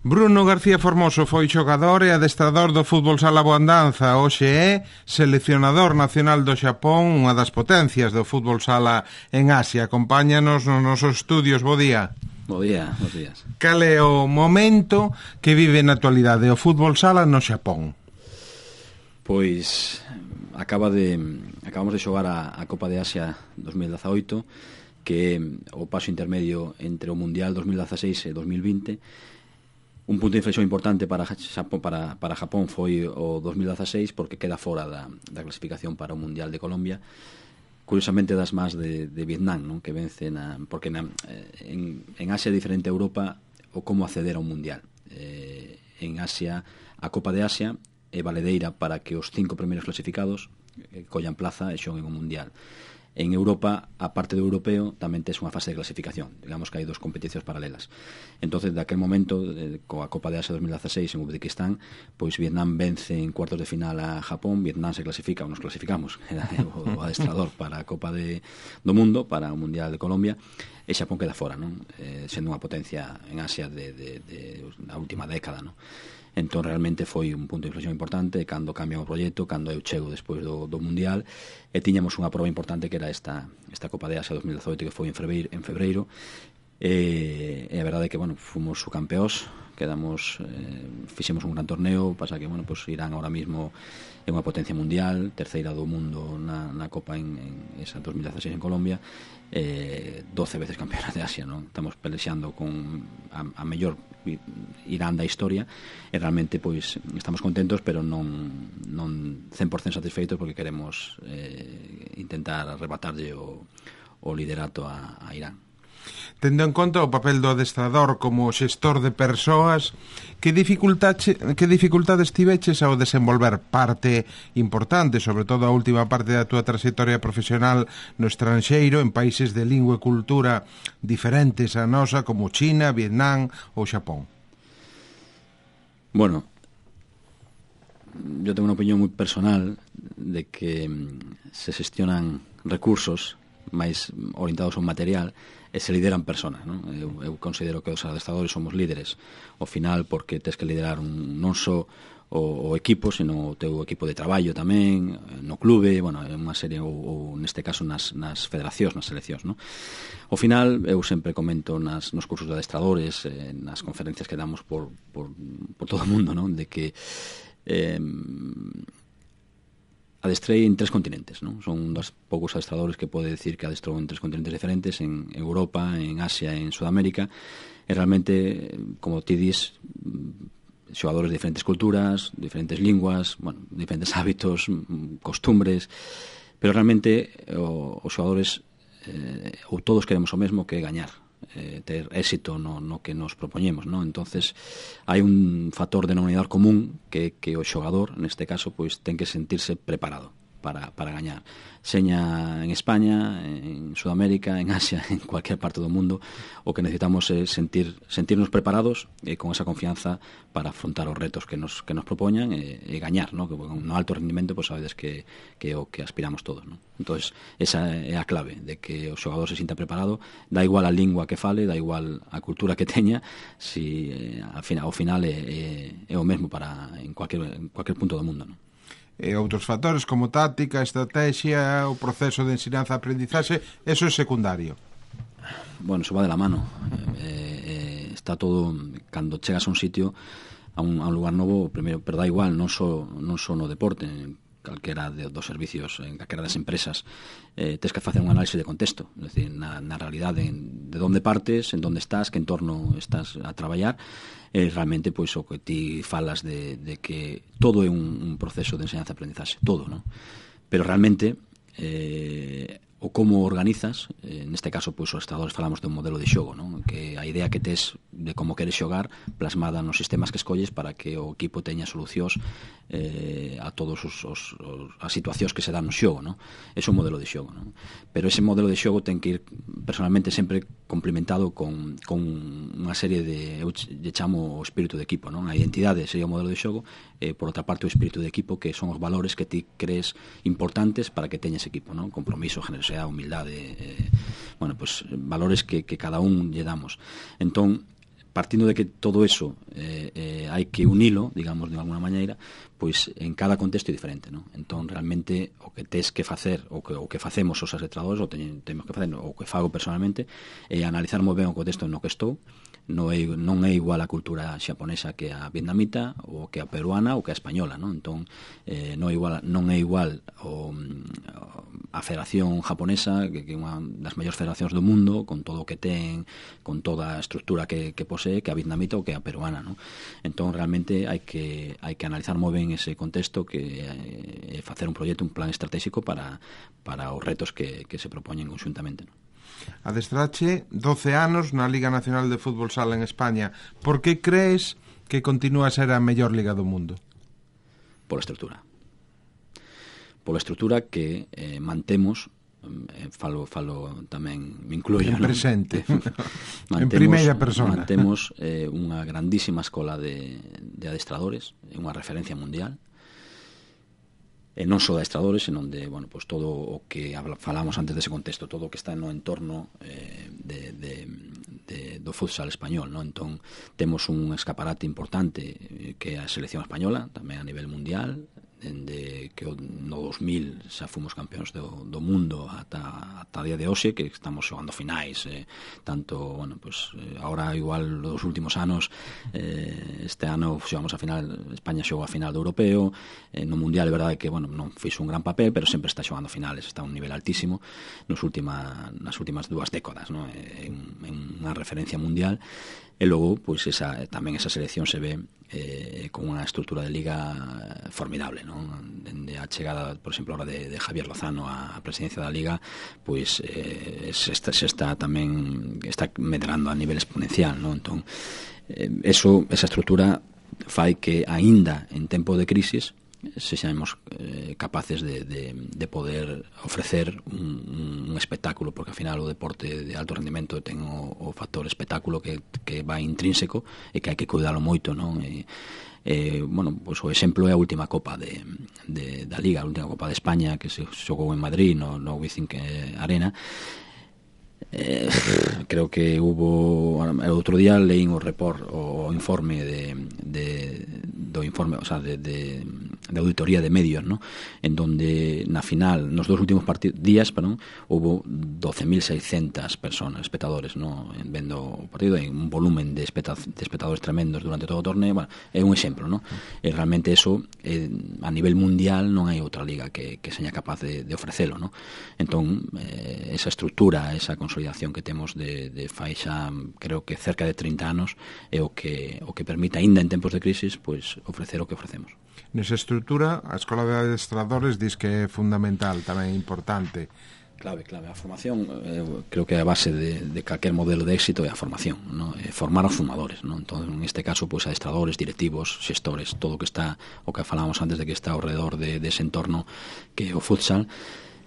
Bruno García Formoso foi xogador e adestrador do fútbol sala Boandanza. Hoxe é seleccionador nacional do Xapón, unha das potencias do fútbol sala en Asia. Acompáñanos nos nosos estudios. Bo día. Bo día, bons días. Cal é o momento que vive na actualidade o fútbol sala no Xapón? Pois acabamos de xogar a Copa de Asia 2018, que é o paso intermedio entre o Mundial 2016 e 2020. Un punto de inflexión importante para Japón foi o 2016, porque queda fora da clasificación para o Mundial de Colombia, curiosamente das más de Vietnam, non? Que vence porque en Asia é diferente a Europa o como acceder a un Mundial. En Asia, a Copa de Asia é valedeira para que os 5 primeiros clasificados collan plaza e xoguen o Mundial. En Europa, a parte do europeo, tamén tes unha fase de clasificación. Digamos que hai dos competicións paralelas. Entonces, daquel momento, coa Copa de Asia 2016 en Uzbekistán, pois Vietnam vence en cuartos de final a Japón, Vietnam se clasifica, ou nos clasificamos, era o adestrador para a Copa do Mundo, para o Mundial de Colombia, e Xapón queda fora, non? Sendo unha potencia en Asia da última década, non? Entón realmente foi un punto de inflexión importante cando cambia o proxecto, cando eu chego despois do Mundial, e tiñamos unha proba importante que era esta Copa de Asia 2018, que foi en febreiro, e a verdade é que, bueno, fomos subcampeóns, fixemos un gran torneo, pasa que, bueno, pues Irán ahora mismo é unha potencia mundial, terceira do mundo na Copa en esa 2016 en Colombia, 12 veces campeona de Asia, non? Estamos pelexando con a mellor Irán da historia, e realmente pois estamos contentos, pero non 100% satisfeitos, porque queremos intentar arrebatarlle o liderato a Irán. Tendo en conta o papel do adestrador como xestor de persoas, que dificultades tiveches ao desenvolver parte importante, sobre todo a última parte da túa trayectoria profesional no estranxeiro, en países de lingua e cultura diferentes a nosa, como China, Vietnam ou Xapón? Bueno, yo tengo unha opinión moi personal de que se xestionan recursos máis orientados ao material e se lideran personas, non? Eu considero que os adestradores somos líderes ao final, porque tes que liderar non só o equipo, sino o teu equipo de traballo tamén, no clube, bueno, en unha serie, ou neste caso nas federacións, nas seleccións, non? Ao final, eu sempre comento nos cursos de adestradores, nas conferencias que damos por todo o mundo, non? De que adestrei en 3 continentes, non? Son un dos poucos adestradores que pode decir que adestrou en 3 continentes diferentes, en Europa, en Asia e en Sudamérica, e realmente, como ti dis, xogadores de diferentes culturas, diferentes linguas, bueno, diferentes hábitos, costumbres, pero realmente os xogadores ou todos queremos o mesmo, que é gañar, ter éxito no que nos propoñemos, non? Entonces hai un factor de denominador común que o xogador, neste caso, pois ten que sentirse preparado para gañar, seña en España, en Sudamérica, en Asia, en cualquier parte do mundo. O que necesitamos é sentirnos preparados e con esa confianza para afrontar os retos que nos propoñan e gañar, ¿no? Que no alto rendimento, pues sabedes que é o que aspiramos todos, ¿no? Entonces esa é a clave, de que o xogador se sinta preparado, da igual a lingua que fale, da igual a cultura que teña, si ao final é o mesmo en cualquier punto do mundo, ¿no? E outros factores como táctica, estrategia, o proceso de ensinanza-aprendizaxe, eso é secundario. Bueno, eso va de la mano. Está todo, cando chegas a un sitio, a un lugar novo, primeiro, pero da igual, non só no deporte, en calquera dos servicios, en calquera das empresas, tens que facer un análise de contexto, é dicir, na realidade, de onde partes, en onde estás, que entorno estás a traballar. Realmente, pois, o que ti falas de que todo é un proceso de enseñanza-aprendizaxe, todo, non? Pero realmente o como organizas, neste caso, pois, os adestradores falamos dun modelo de xogo, non? Que a idea que tes de como queres xogar plasmada nos sistemas que escolles para que o equipo teña solucións a todos as situacións que se dan no xogo, non? Ese é un modelo de xogo, non? Pero ese modelo de xogo ten que ir personalmente sempre complementado con unha serie de, eu chamo o espírito de equipo, non? A identidade sería o modelo de xogo, por outra parte o espírito de equipo, que son os valores que ti crees importantes para que teñas equipo, non? Compromiso, generosidade, humildade, bueno, pues valores que cada un lle damos. Entón, partindo de que todo eso hai que unilo, digamos, de alguna maneira, pois en cada contexto é diferente, non? Entón, realmente, o que tes que facer, o que facemos os adestradores, o temos que facer, o que fago personalmente, é analizar moi ben o contexto no que estou. Non é igual a cultura xaponesa que a vietnamita, ou que a peruana, ou que a española, non? Entón, non é igual a Federación Japonesa, que é unha das maiores federacións do mundo, con todo o que ten, con toda a estrutura que posee, que a vietnamita ou que a peruana, non? Entón, realmente, hai que analizar moi ben ese contexto, que é facer un proxecto, un plan estratégico para os retos que se propoñen conxuntamente, non? Adestrache 12 anos na Liga Nacional de Fútbol Sala en España. Por que crees que continúa a ser a mellor liga do mundo? Pola estrutura. Pola estrutura que mantemos, falo tamén, me incluyo, en presente, en primeira persona. Mantemos unha grandísima escola de adestradores, unha referencia mundial, e non só de adestradores, senón de, bueno, pues todo o que falamos antes dese contexto, todo o que está no entorno do futsal español, non? Entón, temos un escaparate importante que é a selección española, tamén a nivel mundial, dende que no 2000 xa fomos campeóns do mundo ata día de hoxe, que estamos xogando finais, tanto, bueno, pues agora igual nos últimos anos, este ano xogamos a final, España xogou a final do europeo, no mundial é verdade que, bueno, non fixo un gran papel, pero sempre está xogando finales, está a un nivel altísimo nas últimas 2 décadas, non? É unha referencia mundial. E logo, pois tamén esa selección se ve con unha estrutura de liga formidable, non? Dende a chegada, por exemplo, ahora de Javier Lozano á presidencia da liga, pois se está tamén medrando a nivel exponencial, non? Entón, esa estrutura fai que aínda en tempo de crisis sexamos capaces de poder ofrecer un espectáculo, porque ao final o deporte de alto rendimento ten o factor espectáculo que vai intrínseco e que hai que cuidalo moito, non? Bueno, pues o exemplo é a última Copa da Liga, a última Copa de España que se xogou en Madrid no Wizzing Arena. Creo que hubo outro día leín o informe do informe, o sea, de auditoría de medios, ¿no? En donde na final, nos dos últimos días, hubo 12.600 personas, espectadores, ¿no? Vendo o partido, en un volumen de espectadores tremendos durante todo o torneo. Bueno, é un exemplo, ¿no? E realmente eso a nivel mundial non hai outra liga que seña capaz de ofrecelo, ¿no? Entón, esa estructura, esa consolidación que temos de fai xa, creo que cerca de 30 anos, é o que permite, aínda en tempos de crisis, pois ofrecer o que ofrecemos. Nesa estrutura, a Escola de Adestradores diz que é fundamental, tamén importante. Clave. A formación, creo que é a base de calquer modelo de éxito é a formación, ¿no? Formar aos formadores, ¿no? Entón, en este caso, pues, adestradores, directivos, xestores, todo o que está, o que falábamos antes de que está ao redor de ese entorno que é o futsal,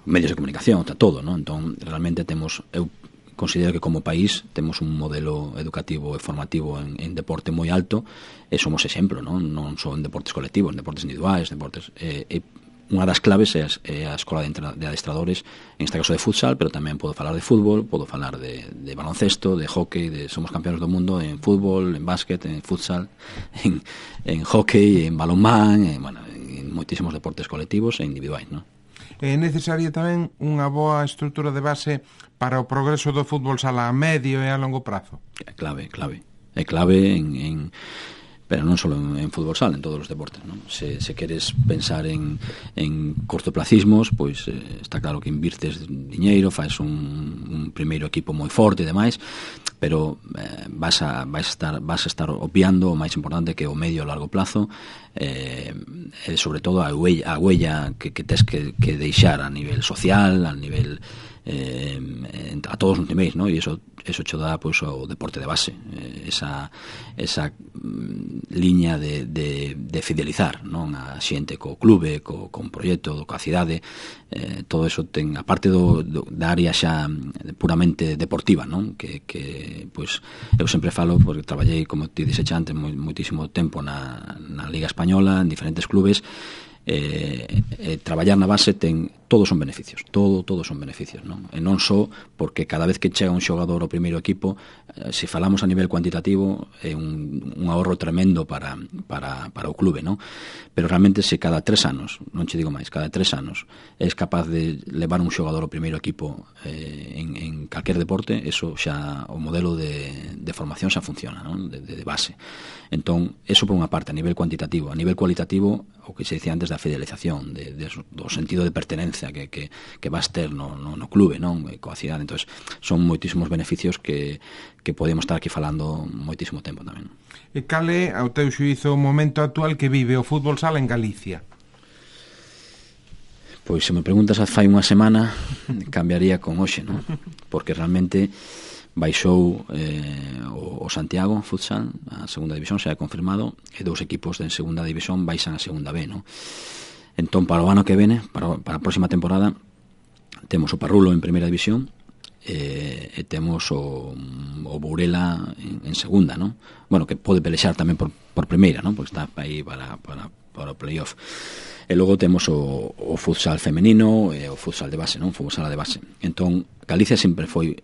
medios de comunicación, está todo, ¿no? Entón, realmente eu considero que como país temos un modelo educativo e formativo en deporte moi alto e somos exemplo, non só en deportes colectivos, en deportes individuais, unha das claves é a escola de adestradores, en este caso de futsal, pero tamén podo falar de fútbol, podo falar de baloncesto, de hockey, somos campeóns do mundo en fútbol, en básquet, en futsal, en hockey, en balonmán, en moitísimos deportes colectivos e individuais, non? É necesaria tamén unha boa estrutura de base para o progreso do fútbol sala a medio e a longo prazo. É clave. É clave pero non só en fútbol sala, en todos os deportes, non? Se queres pensar en cortoplacismos, pois está claro que invirtes diñeiro, faz un primeiro equipo moi forte e demais, pero vas a estar obviando o máis importante que é o medio e largo plazo, e sobre todo a huella que tes que deixar a nivel social, a nivel a todos os niveis, ¿no? E eso cho dá, pois, o deporte de base, esa liña de fidelizar, non, a xente co clube, con proxecto, coa cidade, todo eso ten, a parte da área xa puramente deportiva, non? Que pois eu sempre falo, porque traballei, como ti dixe antes, moitísimo tempo na Liga Española, en diferentes clubes, traballar na base ten todos son beneficios, todos son beneficios, non? E non só porque cada vez que chega un xogador ao primeiro equipo, se falamos a nivel cuantitativo, é un ahorro tremendo para o clube, non? Pero realmente se cada 3 anos, non che digo máis, cada 3 anos és capaz de levar un xogador ao primeiro equipo en calquer deporte, eso xa, o modelo de formación xa funciona, non? De base. Entón, eso por unha parte, a nivel cuantitativo. A nivel cualitativo, o que se dicía antes da fidelización, do sentido de pertenencia que vas ter no clube, non? Coa cidade. Entón, son moitísimos beneficios que podemos estar aquí falando moitísimo tempo tamén. E cal é, ao teu xuízo, o momento actual que vive o fútbol sala en Galicia? Pois se me preguntas fai unha semana, cambiaría con hoxe, non? Porque realmente baixou o Santiago Futsal a segunda división, xa é confirmado, e 2 equipos de segunda división baixan a segunda B, non? Entón, para o ano que vene, para a próxima temporada, temos o Parrulo en primeira división e temos o Burela en segunda, non? Bueno, que pode pelexar tamén por primeira, non? Porque está aí para o playoff. E logo temos o futsal femenino e o futsal de base, non? Fútbol sala de base. Entón, Galicia sempre foi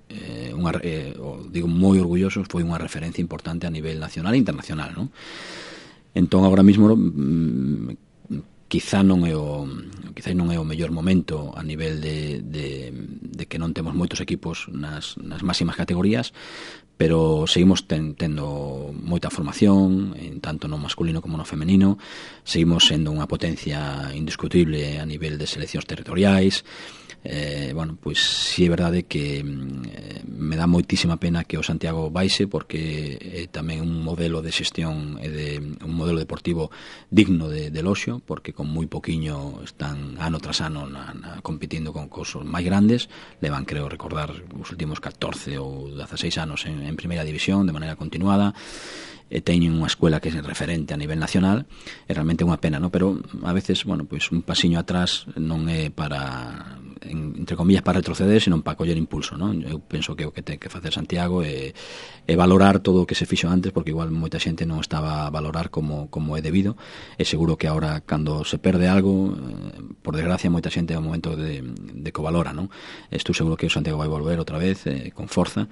digo moi orgulloso, foi unha referencia importante a nivel nacional e internacional, non? Entón, agora mesmo quizá non é o mellor momento a nivel de que non temos moitos equipos nas máximas categorías, pero seguimos tendo moita formación, tanto no masculino como no femenino, seguimos sendo unha potencia indiscutible a nivel de seleccións territoriais. Bueno, pois si é verdade que me dá moitísima pena que o Santiago baixe, porque é tamén un modelo de xestión e un modelo deportivo digno de loxo, porque con moi poquiño están ano tras ano competindo con cosos máis grandes, levan, creo recordar, os últimos 14 ou 16 anos en primeira división de maneira continuada, e teñen unha escuela que é referente a nivel nacional. É realmente unha pena, non? Pero a veces, bueno, pois un pasiño atrás non é para, entre comillas, para retroceder, senón para coller impulso, non? Eu penso que o que ten que facer Santiago é valorar todo o que se fixo antes, porque igual moita xente non estaba a valorar como é debido, e seguro que agora, cando se perde algo, por desgracia, moita xente é o momento de que o valora, non? Estou seguro que o Santiago vai volver outra vez con forza.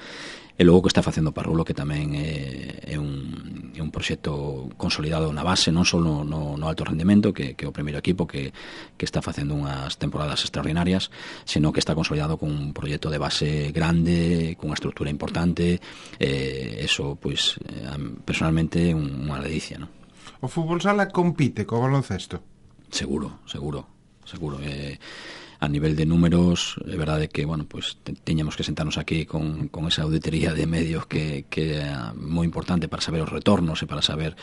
E logo que está facendo Parrulo, que tamén é un proxecto consolidado na base, non só no alto rendemento, que é o primeiro equipo que está facendo unhas temporadas extraordinarias, senón que está consolidado con un proxecto de base grande, con unha estrutura importante. Eso, pois, personalmente, unha ledicia, non? O fútbol sala compite co baloncesto? Seguro. A nivel de números, é verdade que, bueno, pues teñamos que sentarnos aquí con esa auditoría de medios que é moi importante para saber os retornos e para saber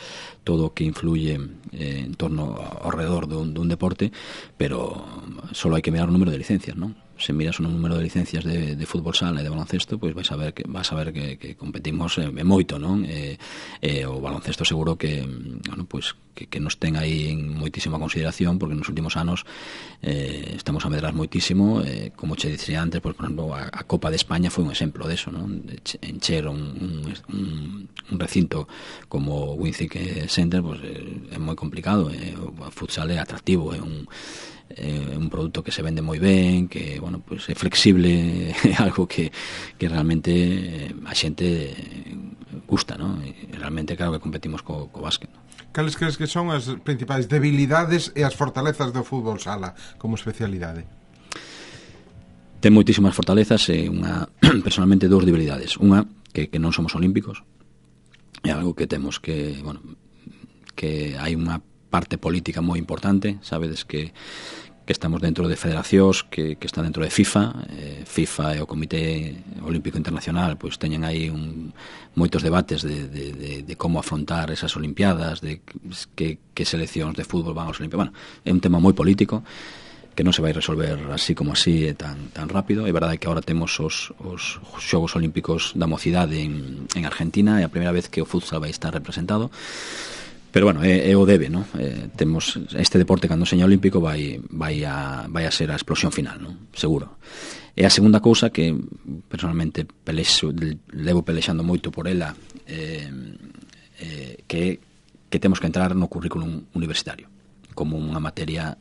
todo o que influye en torno ao redor dun deporte, pero só hai que mirar o número de licencias, non? Se miras o número de licencias de fútbol sala e de baloncesto, pois vas a ver que competimos moito, non? O baloncesto seguro que, bueno, pois que nos ten aí en moitísima consideración, porque nos últimos anos estamos a medrar moitísimo, como che dicía antes, por exemplo, a Copa de España foi un exemplo deso, non? Encher un recinto como o Wincik Center, pois é moi complicado. O futsal é atractivo, é un produto que se vende moi ben, que, bueno, pues é flexible, é algo que realmente a xente gusta, non? E realmente, claro, que competimos co básquet, non? Cales crees que son as principais debilidades e as fortalezas do fútbol sala como especialidade? Ten moitísimas fortalezas e personalmente, 2 debilidades. Unha, que non somos olímpicos, é algo que temos que, bueno, que hai unha parte política moi importante. Sabedes que estamos dentro de federacións que está dentro de FIFA e o Comité Olímpico Internacional, pois teñen aí moitos debates de como afrontar esas olimpiadas, de que seleccións de fútbol van aos olimpiadas. Bueno, é un tema moi político que non se vai resolver así como así tan rápido. É verdade que agora temos os Xogos Olímpicos da Mocidade en Argentina, é a primeira vez que o futsal vai estar representado. Pero, bueno, é o debe, non? Temos este deporte, cando seña olímpico, vai a ser a explosión final, non? Seguro. E a segunda cousa que personalmente levo pelexando moito por ela, que temos que entrar no currículum universitario. como unha materia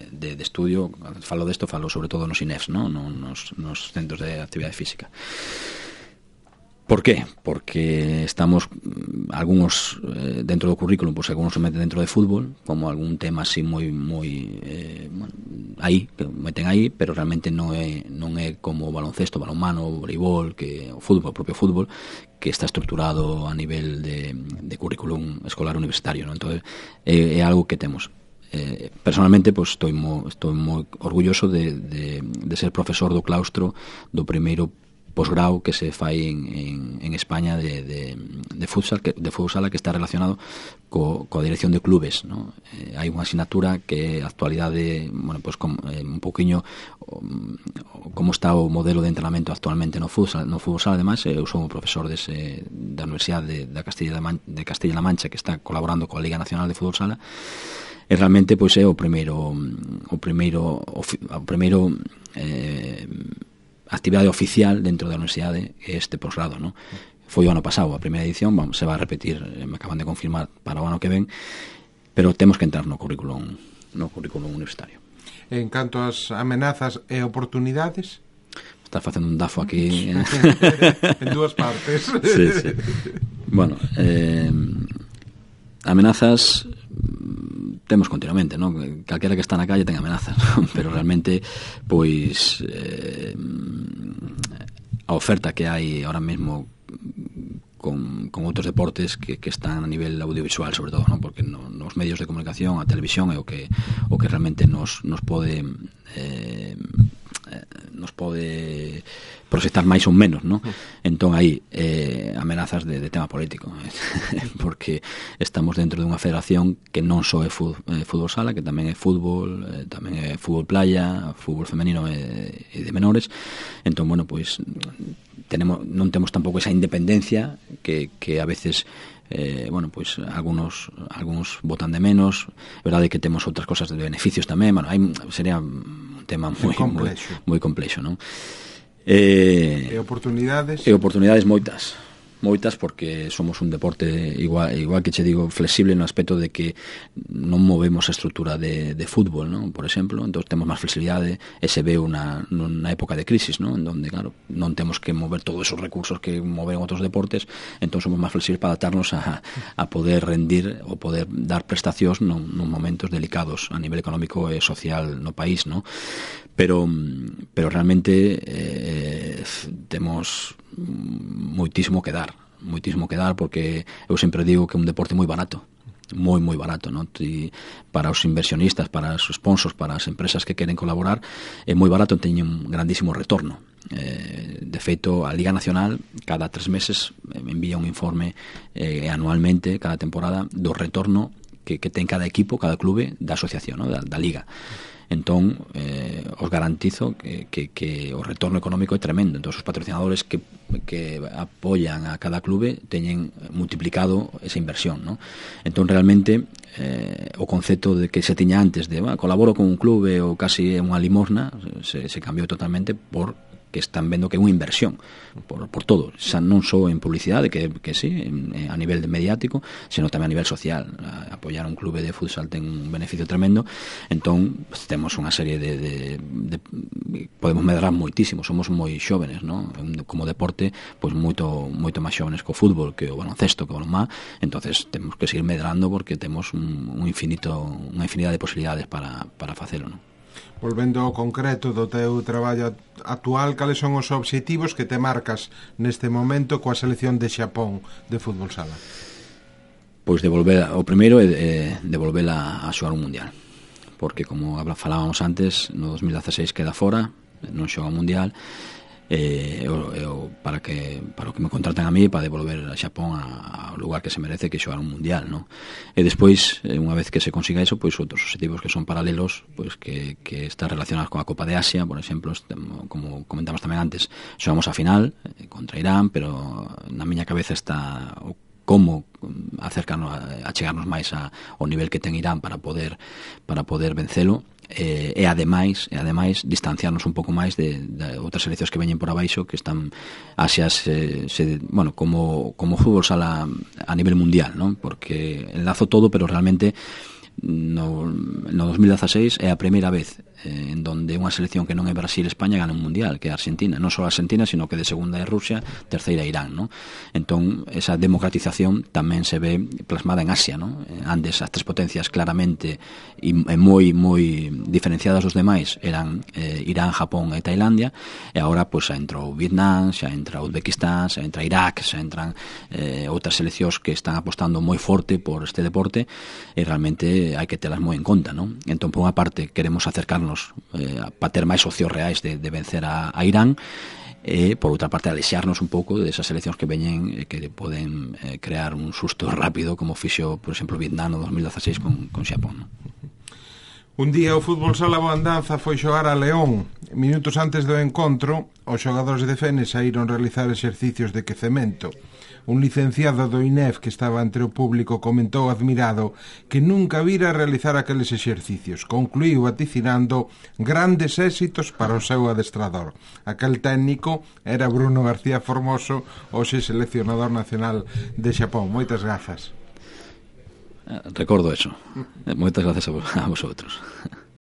de estudio. Falo desto, falo sobre todo nos INEFs, ¿no? nos centros de actividade física. ¿Por qué? Porque estamos algúns dentro do currículum, pois algúns se meten dentro de fútbol como algún tema así moi bueno, aí, que meten aí, pero realmente non é como o baloncesto, balonmano, o voleibol, que o fútbol, o propio fútbol, que está estruturado a nivel de currículum escolar universitario, ¿no? Entonces é algo que temos. Personalmente, pues, estou moi orgulloso de ser profesor do claustro do primeiro posgrau que se fai en España de futsal, de fútbol sala, que está relacionado coa dirección de clubes, ¿no? Hai unha asignatura que a actualidade, bueno, pues, un poquinho como está o modelo de entrenamento actualmente no futsal, ademais, eu son o profesor da Universidade de Castilla-La Mancha, que está colaborando coa Liga Nacional de Fútbol Sala, e realmente, pois, é o primeiro actividade oficial dentro da universidade, este posgrado, ¿no? Foi o ano pasado a primeira edición, se vai a repetir, me acaban de confirmar para o ano que ven, pero temos que entrar no currículum universitario. En canto ás amenazas e oportunidades, está facendo un dafo aquí en dúas partes. Sí. Bueno, amenazas temos continuamente, ¿no? Calquera que está na calle ten amenazas, ¿no? Pero realmente, pois, a oferta que hai ahora mesmo con outros deportes que están a nivel audiovisual, sobre todo, ¿no? Porque nos medios de comunicación, a televisión é o que realmente nos pode proxectar máis ou menos, ¿no? Entón aí amenazas de tema político, porque estamos dentro dunha federación que non só é fútbol sala, que tamén é fútbol, tamén é fútbol playa, fútbol femenino e de menores. Entón, bueno, pois non temos tampouco esa independencia que a veces bueno, pois algunos votan de menos. É verdade que temos outras cosas de beneficios tamén. Bueno, sería un tema moi complexo, non? E oportunidades? E oportunidades moitas, porque somos un deporte igual que che digo, flexible no aspecto de que non movemos a estrutura de fútbol, ¿no? Por exemplo, entón temos máis flexibilidade, e se ve nunha época de crisis, ¿no? En donde, claro, non temos que mover todos esos recursos que moven outros deportes, entón somos máis flexibles para adaptarnos a poder rendir ou poder dar prestacións nun momentos delicados a nivel económico e social no país, ¿no? Pero realmente temos moitísimo que dar, porque eu sempre digo que é un deporte moi barato, moi barato, ¿no? Para os inversionistas, para os sponsors, para as empresas que queren colaborar, é moi barato, teñen un grandísimo retorno. De feito, a Liga Nacional cada 3 meses envía un informe anualmente, cada temporada, do retorno que ten cada equipo, cada clube da asociación, ¿no? da Liga. Entón, os garantizo que o retorno económico é tremendo. Entón, os patrocinadores que apoian a cada clube teñen multiplicado esa inversión, ¿no? Entón, realmente, o concepto de que se tiña antes de colaboro con un clube ou casi unha limosna se cambiou totalmente por que están vendo que é unha inversión por todo, xa non só en publicidade, que sí, a nivel mediático, sino tamén a nivel social. Apoiar un clube de futsal ten un beneficio tremendo. Entón, temos unha serie de podemos medrar moitísimo, somos moi xóvenes, ¿no? Como deporte, pois moito máis xóvenes co fútbol, que o baloncesto, que o balonmá. Entonces temos que seguir medrando porque temos unha infinidade de posibilidades para facelo, ¿no? Volvendo ao concreto do teu traballo actual, cales son os obxectivos que te marcas neste momento coa selección de Xapón de fútbol sala? Pois o primeiro é devolvela a xogar un mundial, porque como falábamos antes, no 2016 queda fora, non xoga un mundial, para o que me contratan a mí, para devolver a Xapón ao lugar que se merece, que xogar un mundial, ¿no? E despois, unha vez que se consiga eso, pois outros objetivos que son paralelos, pois que están relacionados con a Copa de Asia, por exemplo, como comentamos tamén antes, xogamos a final contra Irán, pero na miña cabeza está como acercarnos a chegarnos máis ao nivel que ten Irán para poder vencelo. E ademais distanciarnos un pouco máis de outras seleccións que veñen por abaixo, que están Asias bueno, como fútbol sala a nivel mundial, ¿no? Porque enlazo todo, pero realmente no 2016 é a primeira vez en donde unha selección que non é Brasil e España gana un mundial, que é Argentina, non só Argentina, sino que de segunda é Rusia, terceira é Irán, ¿no? Entón, esa democratización tamén se ve plasmada en Asia, ¿no? Antes as tres potencias claramente e moi diferenciadas dos demais eran Irán, Japón e Tailandia, e agora pois xa entrou Vietnam, xa entra Uzbekistán, xa entra Irak, xa entran outras seleccións que están apostando moi forte por este deporte, e realmente hai que telas moi en conta, ¿no? Entón, por unha parte, queremos acercarnos para ter máis socios reais de vencer a Irán, e por outra parte alexarnos un pouco desas seleccións que veñen que poden crear un susto rápido, como fixo, por exemplo, Vietnam no 2016 con Xapón, ¿no? Un día o fútbol sala Boandanza foi xogar a León. Minutos antes do encontro, os xogadores de Fene saíron realizar exercicios de quecemento. Un licenciado do INEF que estaba entre o público comentou admirado que nunca vira realizar aqueles exercicios. Concluíu vaticinando grandes éxitos para o seu adestrador. Aquel técnico era Bruno García Formoso, hoxe seleccionador nacional de Xapón. Moitas grazas. Recordo eso. Moitas gracias a vosotros.